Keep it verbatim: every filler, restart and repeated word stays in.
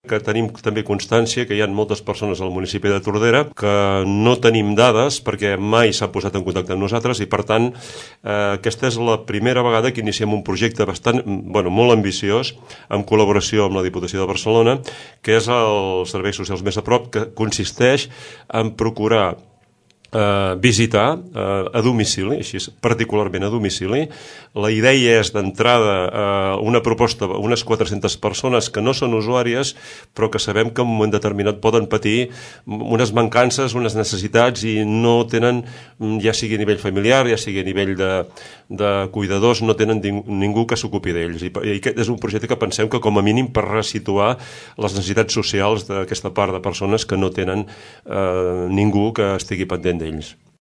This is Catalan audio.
que tenim també constància que hi ha moltes persones al municipi de Tordera que no tenim dades perquè mai s'ha posat en contacte amb nosaltres i, per tant, eh, aquesta és la primera vegada que iniciem un projecte bastant, bueno, molt ambiciós, en col·laboració amb la Diputació de Barcelona, que és els serveis socials més a prop, que consisteix en procurar Uh, visitar uh, a domicili, així particularment a domicili. La idea és d'entrada uh, una proposta, unes quatre-centes persones que no són usuàries però que sabem que en un moment determinat poden patir unes mancances, unes necessitats i no tenen, ja sigui a nivell familiar, ja sigui a nivell de, de cuidadors, no tenen ningú que s'ocupi d'ells, i, i aquest és un projecte que pensem que com a mínim per resituar les necessitats socials d'aquesta part de persones que no tenen uh, ningú que estigui pendent d'ells.